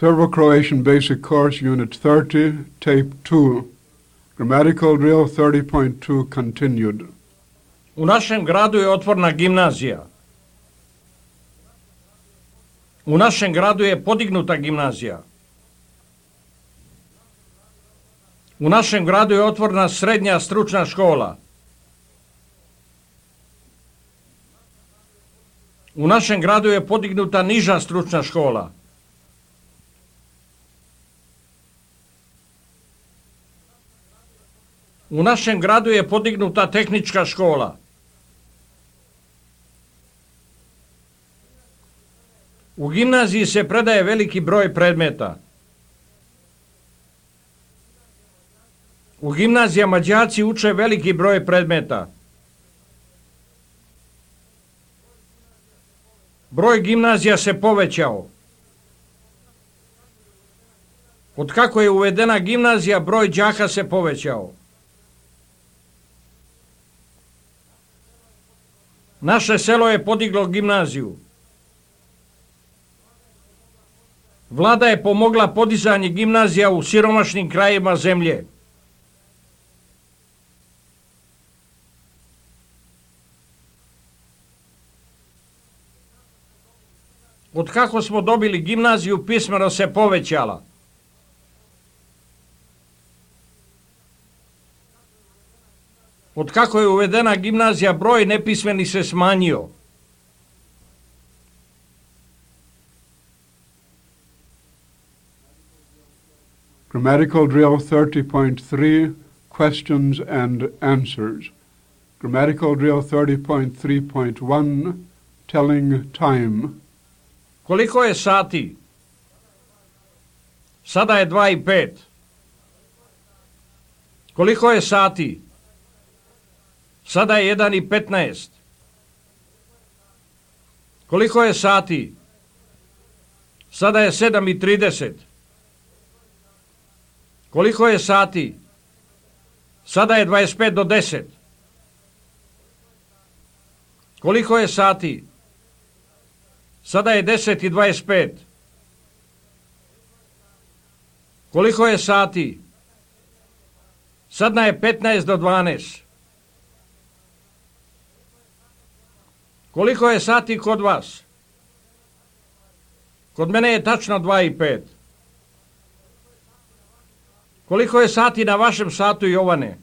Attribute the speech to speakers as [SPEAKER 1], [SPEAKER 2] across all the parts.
[SPEAKER 1] Serbo-Croatian Basic Course, Unit 30, Tape 2. Grammatical Drill 30.2 continued.
[SPEAKER 2] U našem gradu je otvorena gimnazija. U našem gradu je podignuta gimnazija. U našem gradu je otvorena srednja stručna škola. U našem gradu je podignuta niža stručna škola. U našem gradu je podignuta tehnička škola. U gimnaziji se predaje veliki broj predmeta. U gimnazijama đaci uče veliki broj predmeta. Broj gimnazija se povećao. Od kako je uvedena gimnazija, broj đaka se povećao. Naše selo je podiglo gimnaziju. Vlada je pomogla podizanje gimnazija u siromašnim krajevima zemlje. Od kako smo dobili gimnaziju, pismenost se povećala. Od kako je uvedena gimnazija, broj nepismenih se smanjio.
[SPEAKER 1] Grammatical Drill 30.3, Questions and Answers. Grammatical Drill 30.3.1, Telling Time.
[SPEAKER 2] Koliko je sati? Sada je 2:05. Koliko je sati? Sada je 1:15. Koliko je sati? Sada je 7:30. Koliko je sati? Sada je 25 do 10. Koliko je sati? Sada je 10:25. Koliko je sati? Sada je 15 do 12. Koliko je sati kod vas? Kod mene je tačno 2:05. Koliko je sati na vašem satu, Jovane?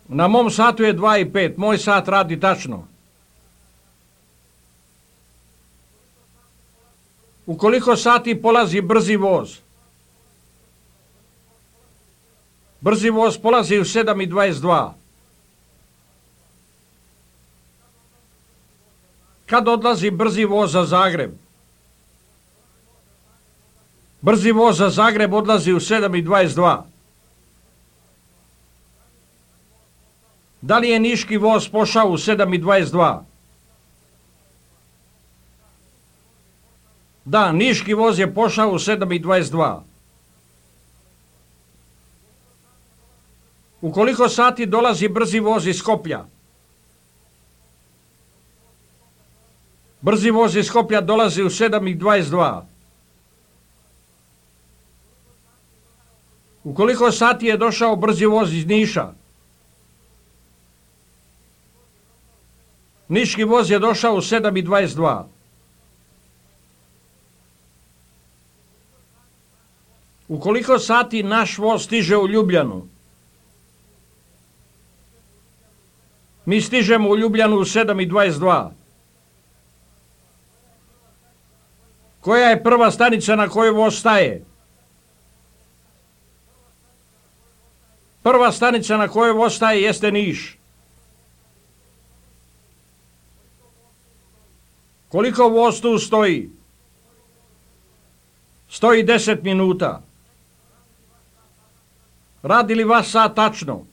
[SPEAKER 2] Na mom satu je 2:05. Moj sat radi tačno. U koliko sati polazi brzi voz? Brzi voz polazi u 7:22. Kad odlazi brzi voz za Zagreb? Brzi voz za Zagreb odlazi u 7:22. Da li je niški voz pošao u 7:22? Da, niški voz je pošao u 7:22. U koliko sati dolazi brzi voz iz Skoplja? Brzi voz iz Skoplja dolazi u 7:22. U koliko sati je došao brzi voz iz Niša? Niški voz je došao u 7:22. U koliko sati naš voz stiže u Ljubljanu? Mi stižemo u Ljubljanu u 7:22. Koja je prva stanica na kojoj voz staje? Prva stanica na kojoj voz staje jeste Niš. Koliko voz tu stoji? Stoji 10 minuta. Radi li vaš sat tačno?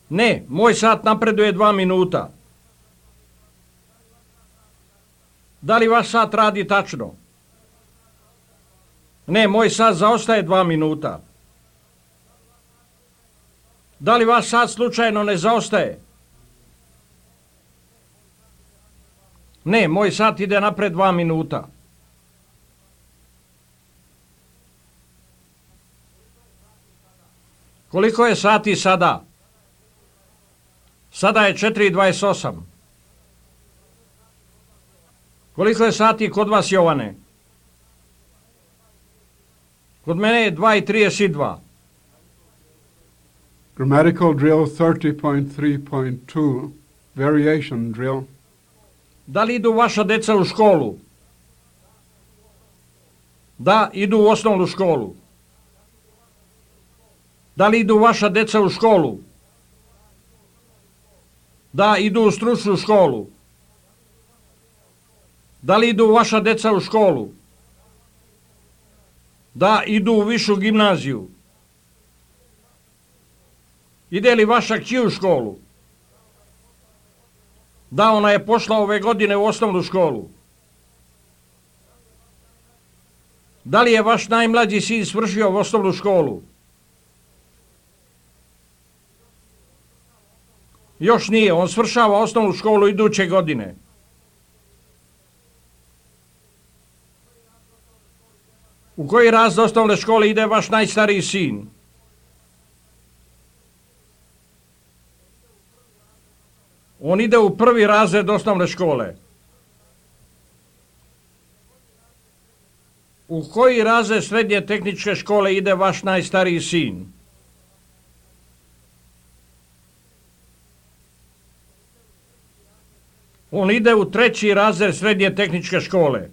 [SPEAKER 2] Ne, moj sat napreduje 2 minuta. Da li vaš sat radi tačno? Ne, moj sat zaostaje 2 minuta. Da li vaš sat slučajno ne zaostaje? Ne, moj sat ide napred 2 minuta. Koliko je sati sada? Sada je 4:28. Koliko je sati kod vas, Jovane? Kod mene je 2:32.
[SPEAKER 1] Grammatical drill 30.3.2, variation drill.
[SPEAKER 2] Da li idu vaša deca u školu? Da, idu u osnovnu školu. Da li idu vaša deca u školu? Da, idu u stručnu školu. Da li idu vaša deca u školu? Da, idu u višu gimnaziju. Ide li vaša kći u školu? Da, ona je pošla ove godine u osnovnu školu. Da li je vaš najmlađi sin svršio u osnovnu školu? Još nije, on svršava osnovnu školu iduće godine. U koji razred osnovne škole ide vaš najstariji sin? On ide u 1. razred osnovne škole. U koji razred srednje tehničke škole ide vaš najstariji sin? On ide u 3. razred srednje tehničke škole.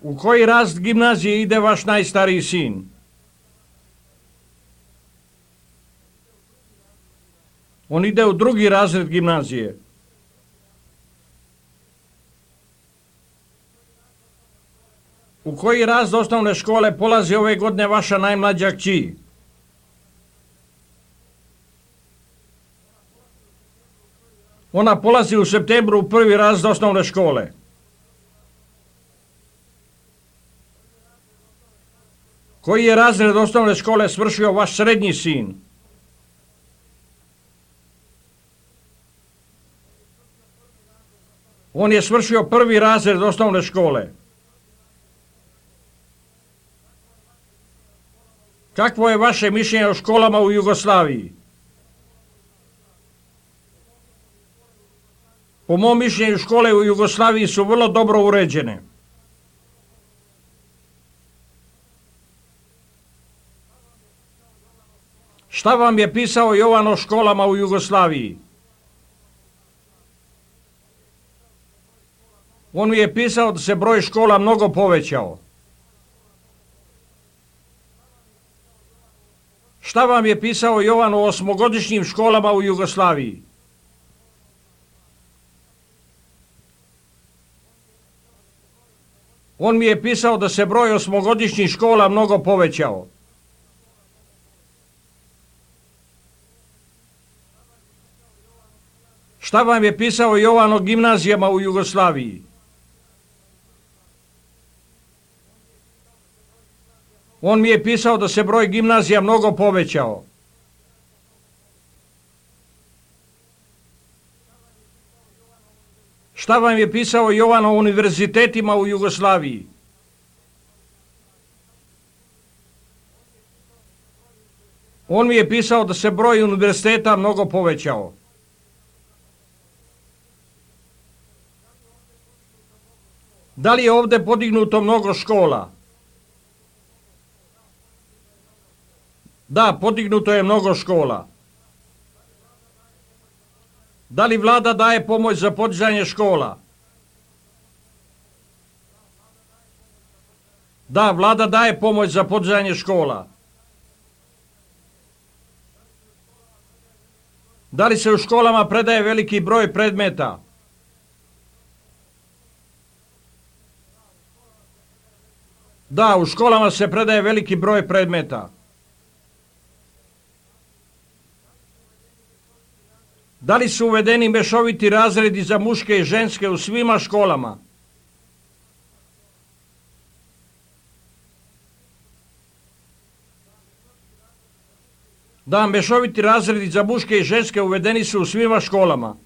[SPEAKER 2] U koji razred gimnazije ide vaš najstariji sin? On ide u 2. razred gimnazije. U koji razred osnovne škole polazi ove godine vaša najmlađa kći? Ona polazi u septembru u 1. razred osnovne škole. Koji je razred osnovne škole svršio vaš srednji sin? On je svršio 1. razred osnovne škole. Kakvo je vaše mišljenje o školama u Jugoslaviji? Po mom mišljenju, škole u Jugoslaviji su vrlo dobro uređene. Šta vam je pisao Jovan o školama u Jugoslaviji? On mi je pisao da se broj škola mnogo povećao. Šta vam je pisao Jovan o 8-godišnjim školama u Jugoslaviji? On mi je pisao da se broj 8-godišnjih škola mnogo povećao. Šta vam je pisao Jovan o gimnazijama u Jugoslaviji? On mi je pisao da se broj gimnazija mnogo povećao. Šta vam je pisao Jovan o univerzitetima u Jugoslaviji? On mi je pisao da se broj univerziteta mnogo povećao. Da li je ovdje podignuto mnogo škola? Da, podignuto je mnogo škola. Da li vlada daje pomoć za podizanje škola? Da, vlada daje pomoć za podizanje škola. Da li se u školama predaje veliki broj predmeta? Da, u školama se predaje veliki broj predmeta. Da li su uvedeni mešoviti razredi za muške i ženske u svima školama? Da, mešoviti razredi za muške i ženske uvedeni su u svima školama.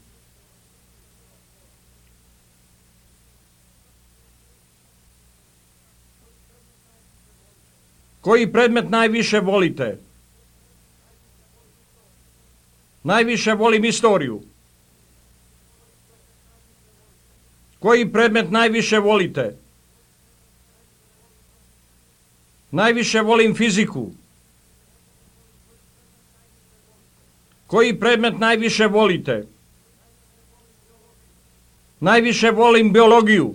[SPEAKER 2] Koji predmet najviše volite? Najviše volim istoriju. Koji predmet najviše volite? Najviše volim fiziku. Koji predmet najviše volite? Najviše volim biologiju.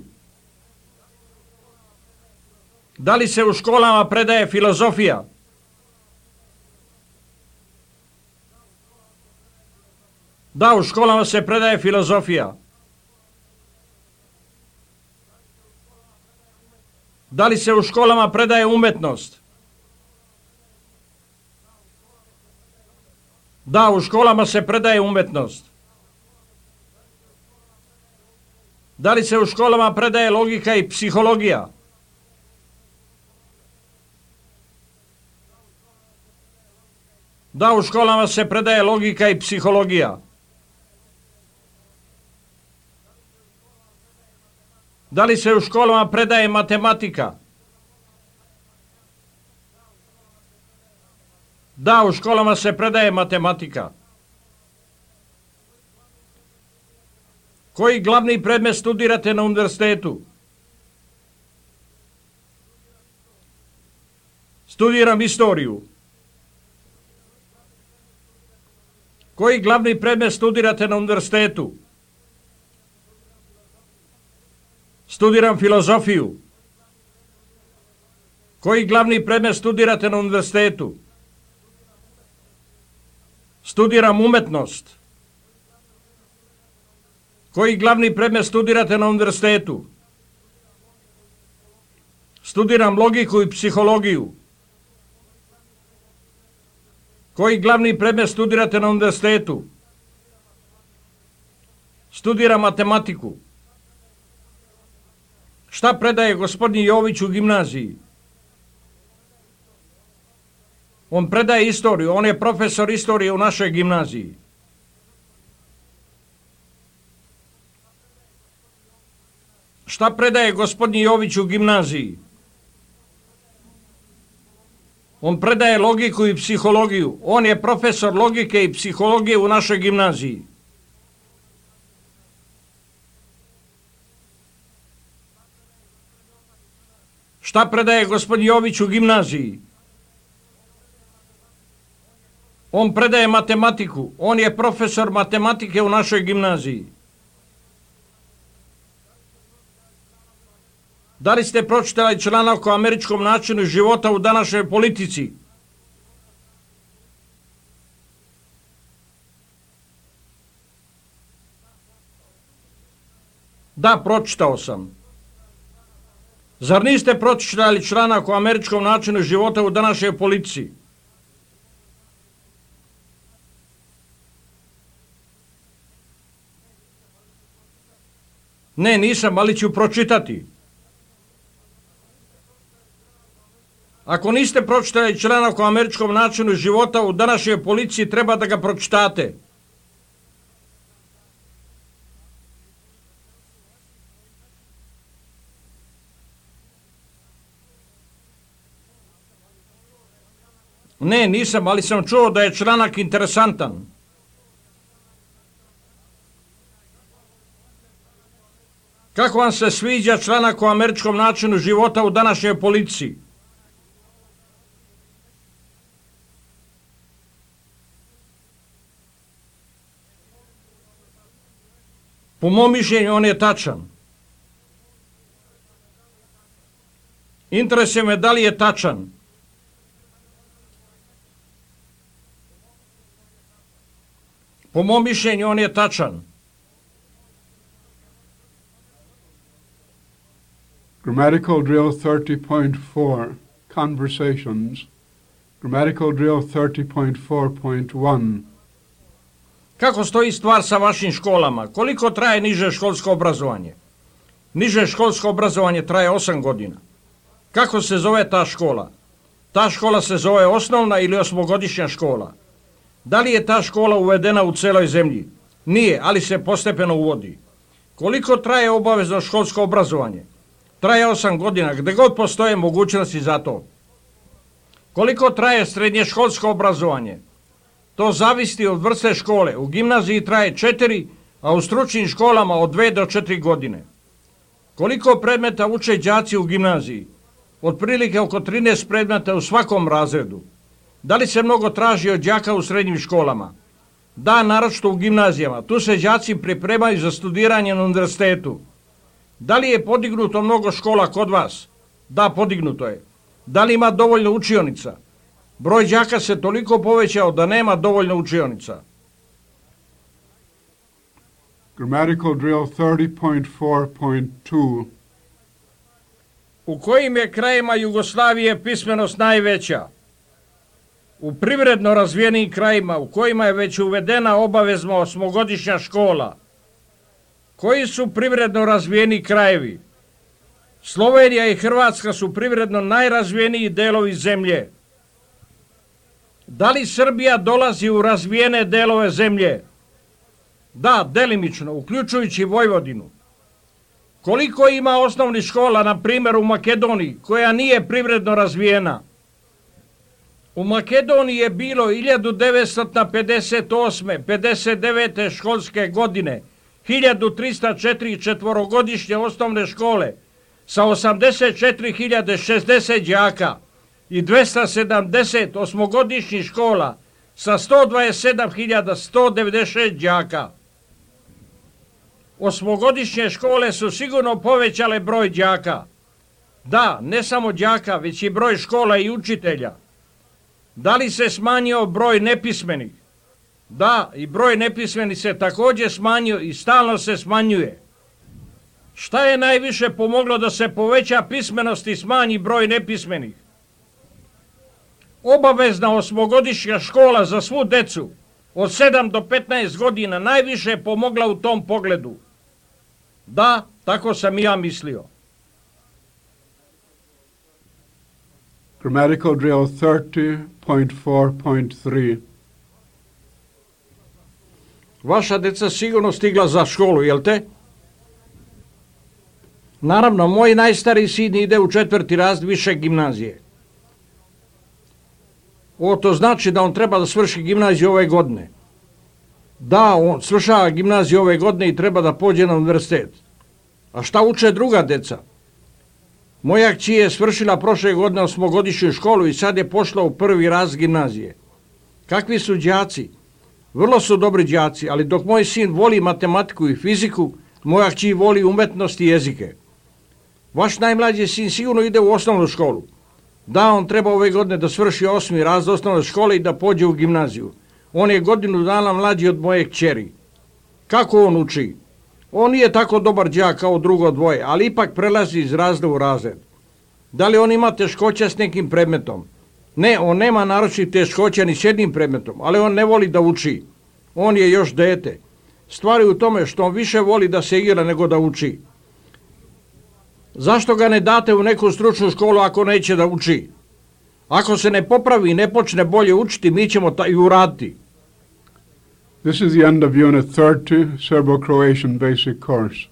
[SPEAKER 2] Da li se u školama predaje filozofija? Da, u školama se predaje filozofija. Da li se u školama predaje umetnost? Da, u školama se predaje umetnost. Da li se u školama predaje logika i psihologija? Da, u školama se predaje logika i psihologija. Da li se u školama predaje matematika? Da, u školama se predaje matematika. Koji glavni predmet studirate na univerzitetu? Studiram istoriju. Koji glavni predmet studirate na univerzitetu? Studiram filozofiju. Koji glavni predmet studirate na univerzitetu? Studiram umetnost. Koji glavni predmet studirate na univerzitetu? Studiram logiku i psihologiju. Koji glavni predmet studirate na univerzitetu? Studiram matematiku. Šta predaje gospodin Jović u gimnaziji? On predaje istoriju, on je profesor istorije u našoj gimnaziji. Šta predaje gospodin Jović u gimnaziji? On predaje logiku i psihologiju. On je profesor logike i psihologije u našoj gimnaziji. Šta predaje gospodin Jović u gimnaziji? On predaje matematiku. On je profesor matematike u našoj gimnaziji. Da li ste pročitali članak o američkom načinu života u današnjoj politici? Da, pročitao sam. Zar niste pročitali članak o američkom načinu života u današnjoj politici? Ne, nisam, ali ću pročitati. Ako niste pročitali članak o američkom načinu života u današnjoj policiji, treba da ga pročitate. Ne, nisam, ali sam čuo da je članak interesantan. Kako vam se sviđa članak o američkom načinu života u današnjoj policiji? Po mom mišljenju on je tačan. Interesuje me da li je tačan. Po mom mišljenju on je tačan.
[SPEAKER 1] Grammatical drill 30.4, conversations. Grammatical drill 30.4.1.
[SPEAKER 2] Kako stoji stvar sa vašim školama? Koliko traje niže školsko obrazovanje? Niže školsko obrazovanje traje 8 godina. Kako se zove ta škola? Ta škola se zove osnovna ili osmogodišnja škola. Da li je ta škola uvedena u celoj zemlji? Nije, ali se postepeno uvodi. Koliko traje obavezno školsko obrazovanje? Traje 8 godina, gde god postoje mogućnosti za to. Koliko traje srednje školsko obrazovanje? To zavisi od vrste škole. U gimnaziji traje 4, a u stručnim školama od 2 do 4 godine. Koliko predmeta uče đaci u gimnaziji? Otprilike oko 13 predmeta u svakom razredu. Da li se mnogo traži od đaka u srednjim školama? Da, naročito u gimnazijama. Tu se đaci pripremaju za studiranje na univerzitetu. Da li je podignuto mnogo škola kod vas? Da, podignuto je. Da li ima dovoljno učionica? Broj đaka se toliko povećao da nema dovoljno učionica.
[SPEAKER 1] Grammatical drill 30.4.2.
[SPEAKER 2] U kojim je krajima Jugoslavije pismenost najveća? U privredno razvijenim krajima u kojima je već uvedena obavezno 8-godišnja škola. Koji su privredno razvijeni krajevi? Slovenija i Hrvatska su privredno najrazvijeniji delovi zemlje. Da li Srbija dolazi u razvijene delove zemlje? Da, delimično, uključujući Vojvodinu. Koliko ima osnovnih škola, na primjer u Makedoniji, koja nije privredno razvijena? U Makedoniji je bilo 1958. 59. školske godine 1304 četvorogodišnje osnovne škole sa 84.060 đaka i 270 osmogodišnjih škola sa 127.196 đaka. Osmogodišnje škole su sigurno povećale broj đaka. Da, ne samo đaka, već i broj škola i učitelja. Da li se smanjio broj nepismenih? Da, i broj nepismenih se također smanjio i stalno se smanjuje. Šta je najviše pomoglo da se poveća pismenost i smanji broj nepismenih? Obavezna osmogodišnja škola za svu decu od 7 do 15 godina najviše je pomogla u tom pogledu. Da, tako sam i ja mislio.
[SPEAKER 1] Grammatical drill 30.4.3.
[SPEAKER 2] Vaša deca sigurno stigla za školu, jel te? Naravno, moj najstariji sin ide u 4. razred više gimnazije. To znači da on treba da svrši gimnaziju ove godine. Da, on svršava gimnaziju ove godine i treba da pođe na univerzitet. A šta uče druga deca? Moja kći je svršila prošle godine 8-godišnju školu i sad je pošla u 1. razred gimnazije. Kakvi su đaci? Vrlo su dobri đaci, ali dok moj sin voli matematiku i fiziku, moja kći voli umetnost i jezike. Vaš najmlađi sin sigurno ide u osnovnu školu. Da, on treba ove godine da svrši 8. razred osnovne škole i da pođe u gimnaziju. On je godinu dana mlađi od moje kćeri. Kako on uči? On nije tako dobar đak kao drugo dvoje, ali ipak prelazi iz razreda u razred. Da li on ima teškoća s nekim predmetom? Ne, on nema naročitih teškoća ni s jednim predmetom, ali on ne voli da uči. On je još dete. Stvar je u tome što on više voli da se igra nego da uči. Zašto ga ne date u neku stručnu školu ako neće da uči? Ako se ne popravi i ne počne bolje učiti, mi ćemo i uraditi.
[SPEAKER 1] This is the end of Unit 30, Serbo-Croatian Basic Course.